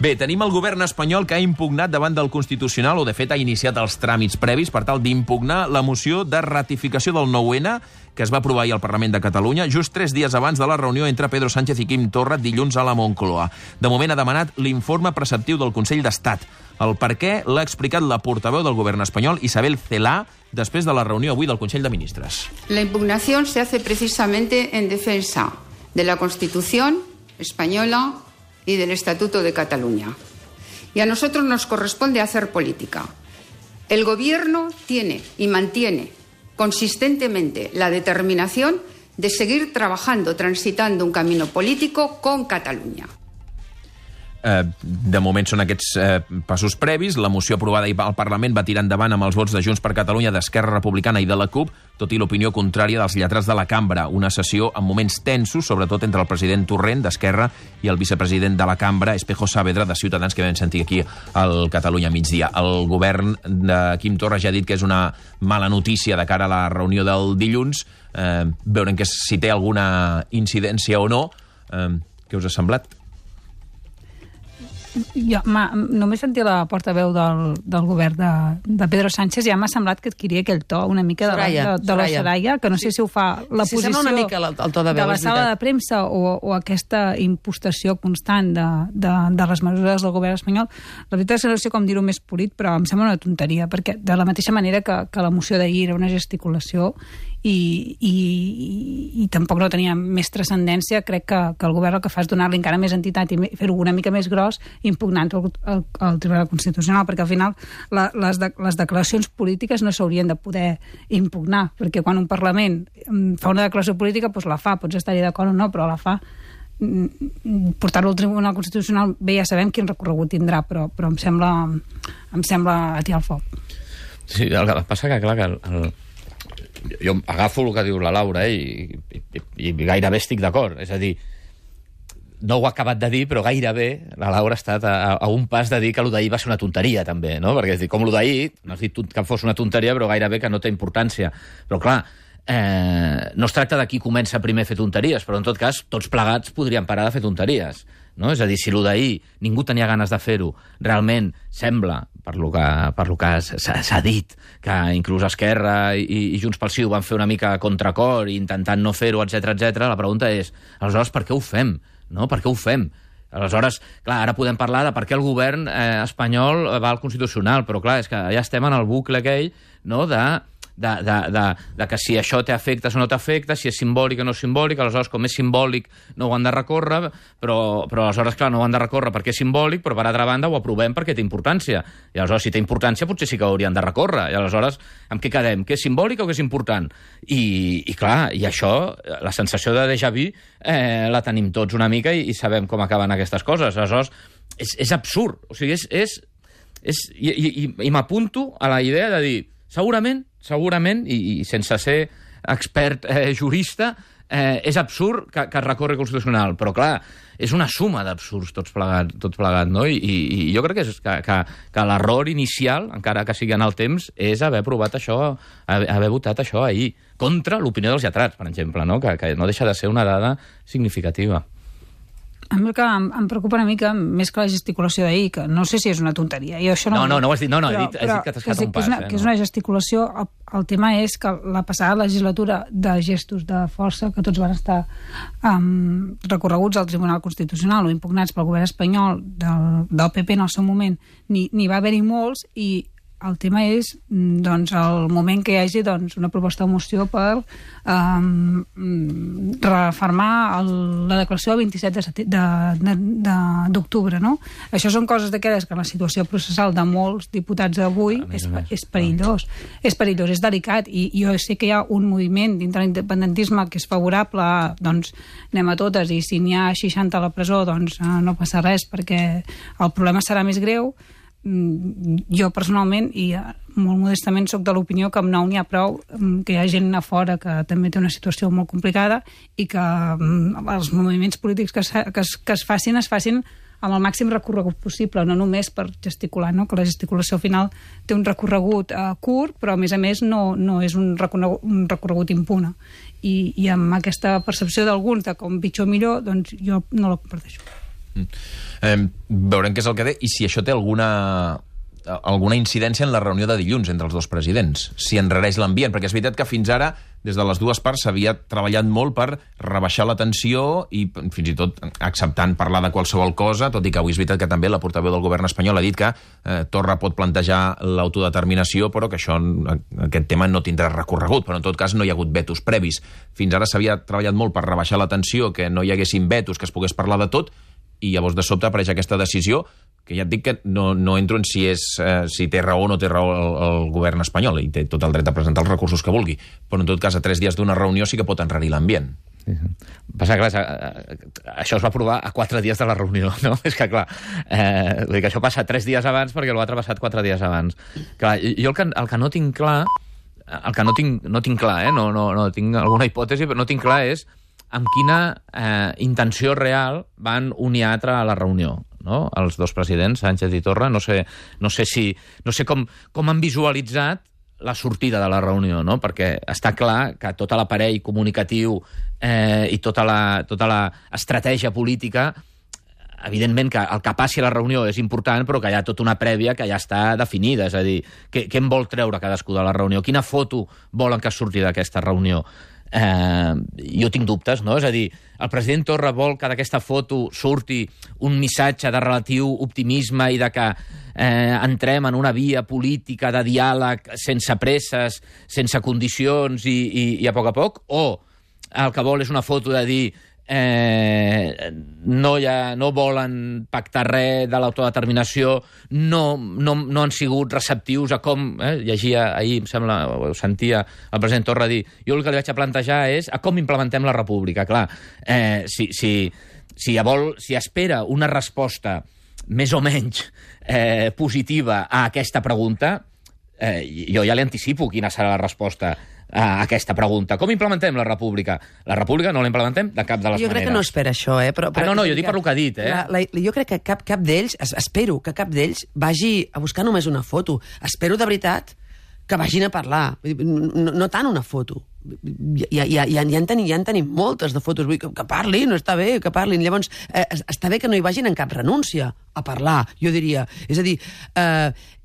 Bé, tenim el govern espanyol que ha impugnat davant del Constitucional, o de fet ha iniciat els tràmits previs per tal d'impugnar la moció de ratificació del 9-N que es va aprovar ahir al Parlament de Catalunya, just 3 dies abans de la reunió entre Pedro Sánchez i Quim Torra dilluns a la Moncloa. De moment ha demanat l'informe preceptiu del Consell d'Estat. El per què l'ha explicat la portaveu del govern espanyol, Isabel Celaá, després de la reunió avui del Consell de Ministres. La impugnación se hace precisamente en defensa de la Constitución española y del Estatuto de Cataluña. Y a nosotros nos corresponde hacer política. El Gobierno tiene y mantiene consistentemente la determinación de seguir trabajando, transitando un camino político con Catalunya. De moment són aquests passos previs. La moció aprovada al Parlament va tirar endavant amb els vots de Junts per Catalunya, d'Esquerra Republicana i de la CUP, tot i l'opinió contrària dels lletrats de la cambra. Una sessió amb moments tensos, sobretot entre el president Torrent, d'Esquerra, i el vicepresident de la cambra, Espejo Saavedra, de Ciutadans, que vam sentir aquí al Catalunya migdia. El govern de Quim Torra ja ha dit que és una mala notícia de cara a la reunió del dilluns. Veurem que si té alguna incidència o no. Què us ha semblat? Jo només sentia la portaveu del govern de Pedro Sánchez, ja m'ha semblat que adquiria aquell to una mica de la Soraya, que no sé si ho fa la posició una mica el to de veu, de la sala de premsa o aquesta impostació constant de les mesures del govern espanyol. La veritat és que no sé com dir-ho més polit, però em sembla una tonteria, perquè de la mateixa manera que la moció d'ahir era una gesticulació i tampoc no tenia més transcendència, crec que el govern el que fa és donar-li encara més entitat i fer-ho una mica més gros impugnant al Tribunal Constitucional, perquè al final les declaracions polítiques no s'haurien de poder impugnar, perquè quan un Parlament fa una declaració política, doncs la fa, pots estar-hi d'acord o no, però la fa. Portar-ho al Tribunal Constitucional, bé, ja sabem quin recorregut tindrà, però em sembla atiar el foc. Sí, el que passa que, clar, que jo agafo el que diu la Laura i gairebé estic d'acord. És a dir, no ho ha acabat de dir, però gairebé la Laura ha estat a un pas de dir que el d'ahir va ser una tonteria, també, no? Perquè és dir, com el d'ahir, no has dit que fos una tonteria, però gairebé que no té importància. Però, clar, no es tracta de qui comença primer a fer tonteries, però en tot cas tots plegats podríem parar de fer tonteries, no? És a dir, si el d'ahir ningú tenia ganes de fer-ho, realment sembla, per lo que s'ha dit, que inclús Esquerra i Junts pel Sí ho van fer una mica a contracor, intentant no fer-ho, etc. La pregunta és, aleshores, per què ho fem? No? Per què ho fem? Aleshores, clar, ara podem parlar de per què el govern espanyol va al Constitucional, però clar, és que ja estem en el bucle aquell, no?, de que si això té efectes o no té efectes, si és simbòlic o no és simbòlic, aleshores com és simbòlic no ho han de recórrer, però aleshores, clar, no ho han de recórrer perquè és simbòlic, però per altra banda ho aprovem perquè té importància. I aleshores, si té importància, potser sí que haurien de recórrer. I aleshores, amb què quedem? Que és simbòlic o que és important? I clar, i això, la sensació de déjà vu la tenim tots una mica i sabem com acaben aquestes coses. Aleshores, és absurd. O sigui, i m'apunto a la idea de dir, segurament, i sense ser expert jurista, és absurd que es recorri constitucional, però clar, és una suma d'absurds tot plegat, no? I jo crec que l'error inicial, encara que sigui en el temps, és haver aprovat això, haver votat això ahir, contra l'opinió dels lletrats, per exemple, no? Que no deixa de ser una dada significativa. A mi el que em preocupa una mica, més que la gesticulació d'ahir, que no sé si és una tonteria. Jo això no ho has dit, he dit que t'has quedat un pas. Que és una gesticulació. El tema és que la passada legislatura de gestos de força, que tots van estar recorreguts al Tribunal Constitucional o impugnats pel govern espanyol del PP en el seu moment, n'hi va haver-hi molts, i el tema és doncs, el moment que hi hagi una proposta de moció per refermar la declaració del 27 d'octubre, no? Això són coses d'aquelles que en la situació processal de molts diputats d'avui és perillós. És perillós, és delicat, i jo sé que hi ha un moviment dintre l'independentisme que és favorable a, doncs, anem a totes, i si n'hi ha 60 a la presó, doncs no passa res, perquè el problema serà més greu. Jo personalment, i molt modestament, soc de l'opinió que amb 9 n'hi ha prou, que hi ha gent a fora que també té una situació molt complicada i que els moviments polítics que es facin amb el màxim recorregut possible, no només per gesticular, no? Que la gesticulació al final té un recorregut curt, però a més no és un recorregut impune. I amb aquesta percepció d'alguns de com pitjor o millor, doncs jo no la comparteixo. Veurem què és el que té i si això té alguna incidència en la reunió de dilluns entre els dos presidents, si enrareix l'ambient, perquè és veritat que fins ara, des de les dues parts, s'havia treballat molt per rebaixar la tensió i fins i tot acceptant parlar de qualsevol cosa, tot i que avui és veritat que també la portaveu del govern espanyol ha dit que Torra pot plantejar l'autodeterminació, però que aquest tema no tindrà recorregut, però en tot cas no hi ha hagut vetos previs. Fins ara s'havia treballat molt per rebaixar la tensió, que no hi haguessin vetos, que es pogués parlar de tot, i llavors de sobte apareix aquesta decisió que ja et dic que no entro en si té raó o no té raó el govern espanyol, i té tot el dret a presentar els recursos que vulgui, però en tot cas a 3 dies d'una reunió sí que pot enrarir l'ambient. Passa que, clar, això es va aprovar a 4 dies de la reunió, no? És que, clar, vull dir que això passa 3 dies abans perquè l'altre ha passat 4 dies abans. Clar, jo el que no tinc clar, no tinc clar, no tinc alguna hipòtesi, però no tinc clar és amb quina intenció real van un i altre a la reunió, no? Els dos presidents, Sánchez i Torra. No sé com han visualitzat la sortida de la reunió, no? Perquè està clar que tot l'aparell comunicatiu i tota la estratègia política, evidentment que el que passi a la reunió és important, però que hi ha tota una prèvia que ja està definida. És a dir, què en vol treure cadascú de la reunió? Quina foto volen que surti d'aquesta reunió? Jo tinc dubtes, no? És a dir, el president Torra vol que d'aquesta foto surti un missatge de relatiu optimisme i de que entrem en una via política de diàleg sense presses, sense condicions i a poc, o el que vol és una foto de dir no volen pactar res de l'autodeterminació, no han sigut receptius a com, llegia ahir, em sembla, o sentia el president Torra dir, jo el que li vaig a plantejar és a com implementem la república. Clar, si espera una resposta més o menys positiva a aquesta pregunta, jo ja li anticipo quina serà la resposta a aquesta pregunta. Com implementem la república? La república no la implementem de cap de les maneres. Jo crec que no espera això, però no, jo dic per lo que ha dit, jo crec que cap d'ells, espero que cap d'ells vagi a buscar només una foto. Espero de veritat que vagin a parlar. No tant una foto. Ja en tenim moltes de fotos. Vull que parlin, no està bé que parlin. Llavors, està bé que no hi vagin en cap renúncia a parlar, jo diria. És a dir,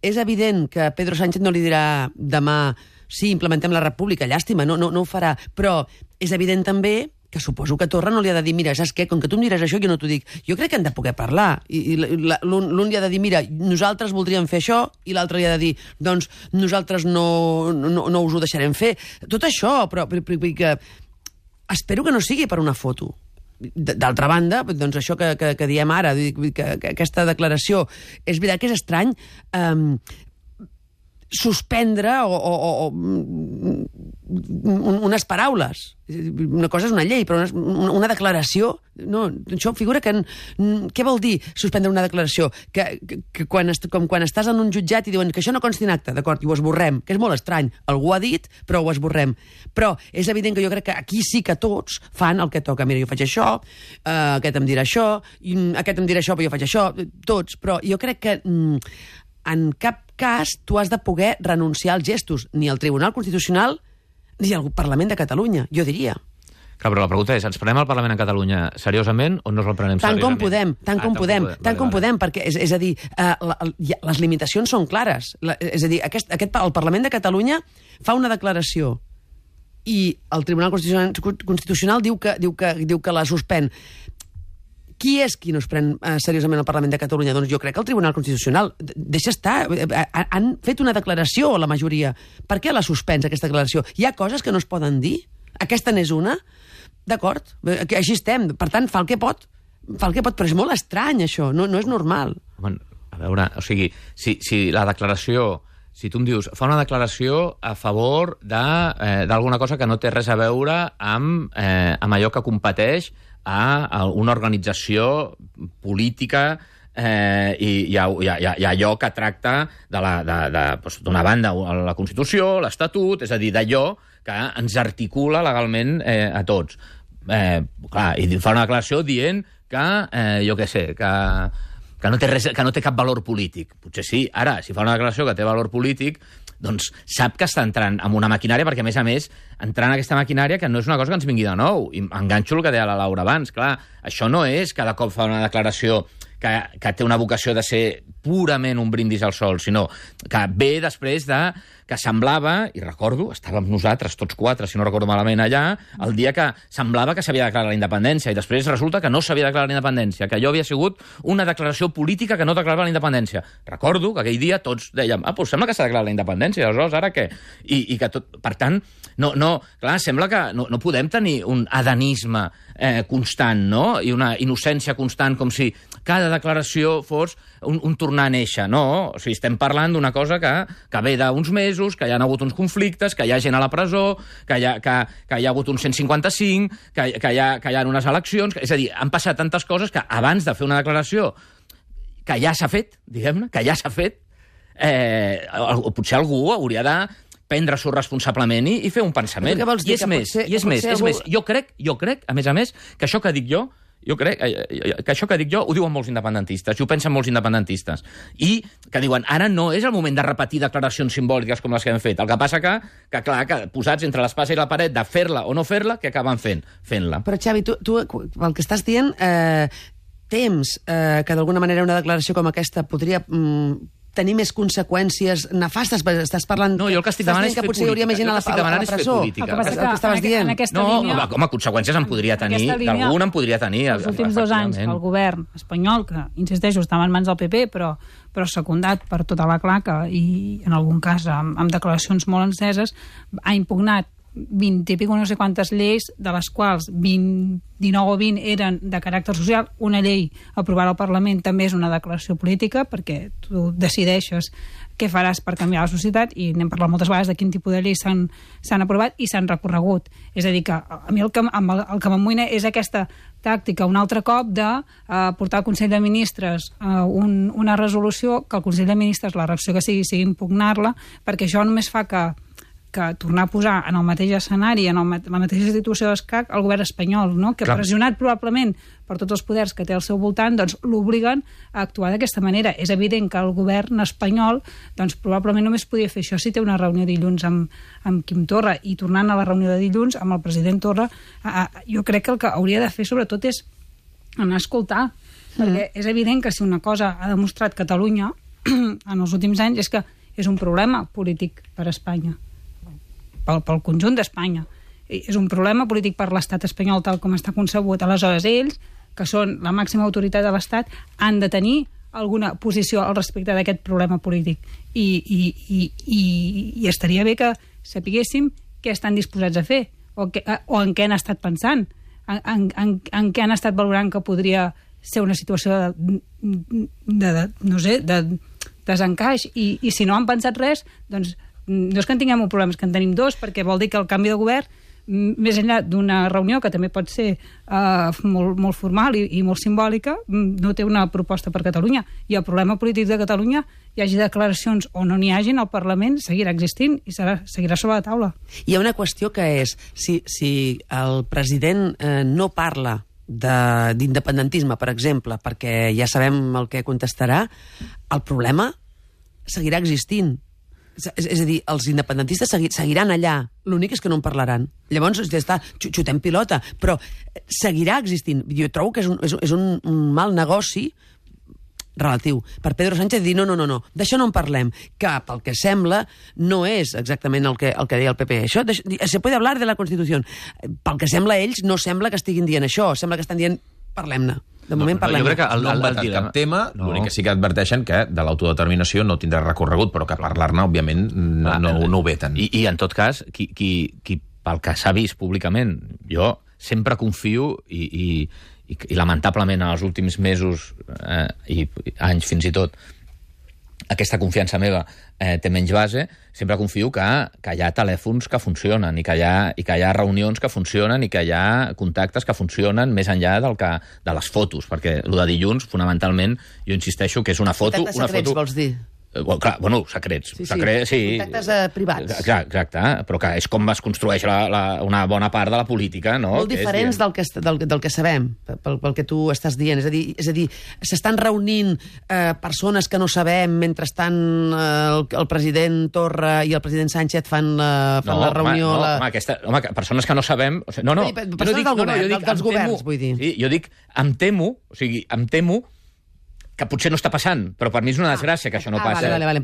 és evident que Pedro Sánchez no li dirà demà sí, implementem la república, llàstima, no ho farà. Però és evident també que suposo que Torra no li ha de dir, mira, saps què, com que tu em diràs això, jo no t'ho dic. Jo crec que han de poder parlar. I l'un li ha de dir, mira, nosaltres voldríem fer això, i l'altre li ha de dir, doncs nosaltres no us ho deixarem fer. Tot això, però que espero que no sigui per una foto. D'altra banda, doncs això que diem ara, que aquesta declaració, és veritat que és estrany suspendre unes paraules. Una cosa és una llei, però una declaració... No, això figura que... Què vol dir suspendre una declaració? Que quan estàs en un jutjat i diuen que això no consti en acte, d'acord, i ho esborrem, que és molt estrany. Algú ha dit, però ho esborrem. Però és evident que jo crec que aquí sí que tots fan el que toca. Mira, jo faig això, aquest em dirà això, aquest em dirà això, però jo faig això, tots. Però jo crec que en cap cas tu has de poder renunciar als gestos, ni al Tribunal Constitucional ni al Parlament de Catalunya, jo diria. Clar, però la pregunta és, ens prenem el Parlament de Catalunya seriosament o no el prenem seriosament? Tant com podem, perquè, és a dir, les limitacions són clares. És a dir, el Parlament de Catalunya fa una declaració i el Tribunal Constitucional diu que la suspèn. Qui és qui no es pren seriosament el Parlament de Catalunya? Doncs jo crec que el Tribunal Constitucional. Deixa estar. Han fet una declaració, la majoria. Per què la suspens, aquesta declaració? Hi ha coses que no es poden dir? Aquesta n'és una? D'acord, així estem. Per tant, fa el que pot, però és molt estrany, això. No és normal. Home, a veure, o sigui, si la declaració... Si tu em dius, fa una declaració a favor d'alguna cosa que no té res a veure amb allò que competeix a una organització política i allò que tracta d'una banda la Constitució, l'Estatut, és a dir, d'allò que ens articula legalment a tots. Clar, i fa una declaració dient que, jo què sé, que no té cap valor polític. Potser sí. Ara, si fa una declaració que té valor polític, doncs sap que està entrant en una maquinària, perquè, a més, entrant en aquesta maquinària, que no és una cosa que ens vingui de nou. I enganxo el que deia la Laura abans. Clar, això no és cada cop fa una declaració que té una vocació de ser purament un brindis al sol, sinó que ve després de que semblava, i recordo, estàvem nosaltres tots quatre, si no recordo malament, allà, el dia que semblava que s'havia declarat la independència, i després resulta que no s'havia declarat la independència, que allò havia sigut una declaració política que no declarava la independència. Recordo que aquell dia tots dèiem, doncs sembla que s'ha declarat la independència, aleshores ara què? I que tot, per tant, clar, sembla que no podem tenir un adanisme constant, no? I una innocència constant, com si cada declaració fos un tornar a néixer, no? O sigui, estem parlant d'una cosa que ve d'uns mesos, que hi ha hagut uns conflictes, que hi ha gent a la presó, que hi ha hagut un 155, que hi ha unes eleccions... És a dir, han passat tantes coses que abans de fer una declaració que ja s'ha fet, diguem-ne, que ja s'ha fet, potser algú hauria de prendre-s'ho responsablement i fer un pensament. I és més, jo crec, a més, que això que dic jo, ho diuen molts independentistes, i ho pensen molts independentistes, i que diuen, ara no és el moment de repetir declaracions simbòliques com les que hem fet. El que passa que clar, que posats entre l'espasa i la paret de fer-la o no fer-la, què acaben fent-la? Però, Xavi, tu el que estàs dient, tems que d'alguna manera una declaració com aquesta podria tenir més conseqüències nefastes? Estàs parlant... No, jo el que estic demanant és fer política. Potser hi hauria més gent a la presó. El que estaves dient. Home, conseqüències en podria tenir, d'algun en podria tenir. Els últims 2 anys, el govern espanyol, que, insisteixo, estava en mans del PP, però secundat per tota la claca i, en algun cas, amb declaracions molt enceses, ha impugnat 20 i pico no sé quantes lleis, de les quals 19 o 20 eren de caràcter social. Una llei aprovada al Parlament també és una declaració política, perquè tu decideixes què faràs per canviar la societat, i n'hem parlat moltes vegades de quin tipus de lleis s'han aprovat i s'han recorregut. És a dir, que a mi el que m'amoïna és aquesta tàctica un altre cop de portar al Consell de Ministres una resolució, que el Consell de Ministres, la reacció que sigui impugnar-la, perquè això només fa que tornar a posar en el mateix escenari, en la mateixa situació d'escac, el govern espanyol, no? Que pressionat probablement per tots els poders que té al seu voltant, doncs l'obliguen a actuar d'aquesta manera. És evident que el govern espanyol doncs probablement només podia fer això si té una reunió dilluns amb Quim Torra, i tornant a la reunió de dilluns amb el president Torra, jo crec que el que hauria de fer sobretot és anar a escoltar, perquè és evident que si una cosa ha demostrat Catalunya en els últims anys és que és un problema polític per a Espanya, pel conjunt d'Espanya. És un problema polític per l'estat espanyol tal com està concebut. Aleshores, ells, que són la màxima autoritat de l'estat, han de tenir alguna posició al respecte d'aquest problema polític. I estaria bé que sapiguéssim què estan disposats a fer, o en què han estat pensant, en què han estat valorant que podria ser una situació de desencaix. I si no han pensat res, doncs no és que en tinguem un problema, és que en tenim 2, perquè vol dir que el canvi de govern, més enllà d'una reunió que també pot ser molt formal i molt simbòlica, no té una proposta per Catalunya. I el problema polític de Catalunya, hi hagi declaracions o no n'hi hagin, el Parlament seguirà existint i seguirà sobre la taula. Hi ha una qüestió que és, si el president no parla d'independentisme, per exemple, perquè ja sabem el que contestarà, el problema seguirà existint. És a dir, els independentistes seguiran allà, l'únic és que no en parlaran. Llavors, ja està, xutem pilota, però seguirà existint. Jo trobo que és un mal negoci relatiu per Pedro Sánchez dir no, d'això no en parlem, que pel que sembla no és exactament el que deia el PP. Això, se puede hablar de la Constitució. Pel que sembla ells, no sembla que estiguin dient això, sembla que estan dient parlem-ne. De moment parlem. Jo crec que no han vetat cap tema, l'únic que sí que adverteixen que de l'autodeterminació no tindrà recorregut, però que parlar-ne, òbviament, no ho veten. I en tot cas, qui pel que s'ha vist públicament, jo sempre confio i lamentablement en els últims mesos i anys fins i tot, aquesta confiança meva té menys base, sempre confio que hi ha telèfons que funcionen i que hi ha reunions que funcionen i que hi ha contactes que funcionen més enllà de les fotos, perquè el de dilluns, fonamentalment, jo insisteixo que és una foto... Contactes secrets, vols dir? Bueno, secrets. Sí. Contactes privats. Exacte, però que és com es construeix una bona part de la política, no? Molt diferents del que sabem, pel que tu estàs dient. És a dir, s'estan reunint persones que no sabem mentre estan el president Torra i el president Sánchez fan la reunió... Home, persones que no sabem... Persones dels governs, vull dir. Sí, jo dic, em temo que potser no està passant, però per mi és una desgràcia que això no passa. Vale.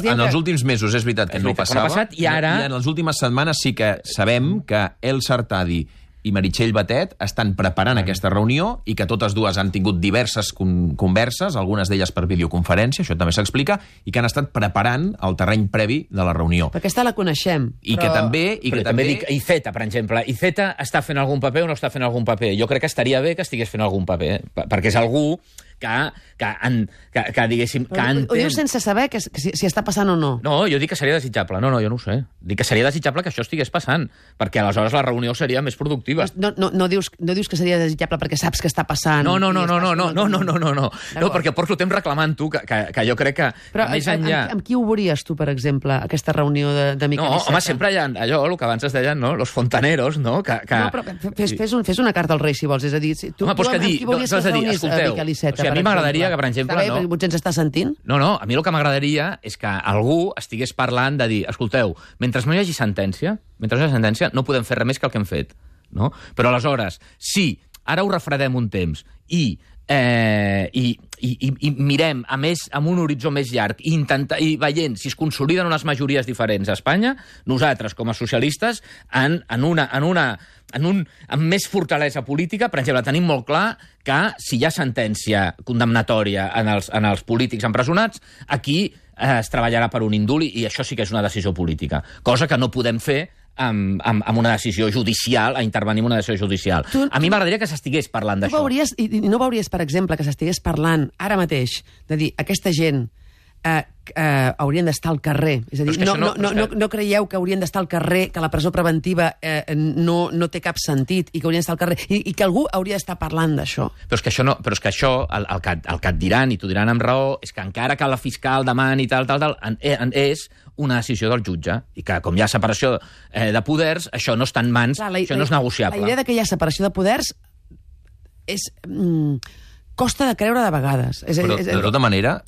En els últims mesos és veritat que no passava, i ara... I en les últimes setmanes sí que sabem que El Sartadi i Meritxell Batet estan preparant aquesta reunió i que totes dues han tingut diverses converses, algunes d'elles per videoconferència, això també s'explica, i que han estat preparant el terreny previ de la reunió. Perquè aquesta la coneixem. I que també dic, Iceta, per exemple. Iceta està fent algun paper o no està fent algun paper? Jo crec que estaria bé que estigués fent algun paper, perquè és algú que diguéssim... Ho dius sense saber si està passant o no? No, jo dic que seria desitjable. No, jo no ho sé. Dic que seria desitjable que això estigués passant, perquè aleshores la reunió seria més productiva. No dius que seria desitjable perquè saps que està passant... No, perquè porto temps reclamant-ho, que jo crec que més enllà... Amb qui ho veuries tu, per exemple, aquesta reunió de Miquel Iceta? No, home, sempre hi ha allò, el que abans es deien, no? Los fontaneros, no? No, però fes una carta al rei, si vols. És a dir, tu amb qui volies que es reunís Miquel Iceta? A mi m'agradaria que, per exemple... Potser ens està sentint? No, a mi el que m'agradaria és que algú estigués parlant de dir, escolteu, mentre no hi hagi sentència, no podem fer res més que el que hem fet. No? Però aleshores, si ara ho refredem un temps i mirem amb un horitzó més llarg i veient si es consoliden unes majories diferents a Espanya, nosaltres, com a socialistes, amb més fortalesa política, per exemple, tenim molt clar que si hi ha sentència condemnatòria en els polítics empresonats, aquí es treballarà per un indult i això sí que és una decisió política, cosa que no podem fer amb una decisió judicial, a intervenir en una decisió judicial. A mi m'agradaria que s'estigués parlant d'això. No veuries, per exemple, que s'estigués parlant ara mateix de dir, aquesta gent haurien d'estar al carrer. És a dir, no creieu que haurien d'estar al carrer, que la presó preventiva no té cap sentit i que haurien d'estar al carrer i que algú hauria d'estar parlant d'això? Però és que això, el que et diran, i t'ho diran amb raó, és que encara que la fiscal demani tal, és una decisió del jutge, i que com hi ha separació de poders, això no està en mans, això no és negociable. La idea que hi ha separació de poders és... costa de creure de vegades. Però, de tota manera,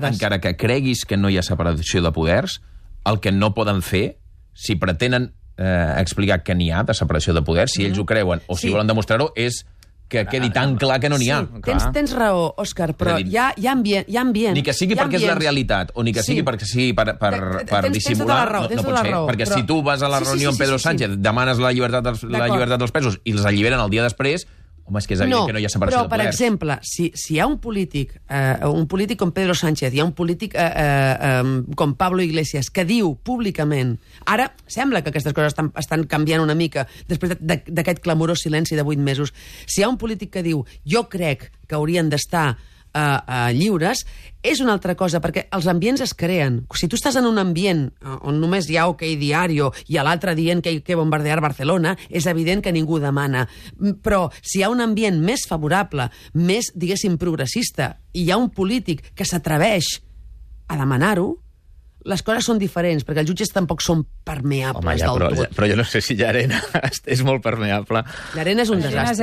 encara que creguis que no hi ha separació de poders, el que no poden fer, si pretenen explicar que n'hi ha de separació de poders, si ells ho creuen o si volen demostrar-ho, és que quedi tan clar que no n'hi ha. Tens raó, Òscar, però hi ha ambient. Ni que sigui perquè és la realitat, o ni que sigui per dissimular, no pot ser. Perquè si tu vas a la reunió amb Pedro Sánchez, demanes la llibertat dels presos i els alliberen el dia després, home, és que és evident que no hi ha separació de poders. Però, per exemple, si hi ha un polític com Pedro Sánchez, hi ha un polític com Pablo Iglesias, que diu públicament... Ara sembla que aquestes coses estan canviant una mica després d'aquest clamorós silenci de 8 mesos. Si hi ha un polític que diu jo crec que haurien d'estar lliures, és una altra cosa, perquè els ambients es creen. Si tu estàs en un ambient on només hi ha OK Diario i a l'altre dient que hay que bombardear Barcelona, és evident que ningú demana. Però si hi ha un ambient més favorable, més, diguéssim, progressista, i hi ha un polític que s'atreveix a demanar-ho, les coses són diferents, perquè els jutges tampoc són permeables del tot. Però jo no sé si Llarena és molt permeable. Llarena és un desastre.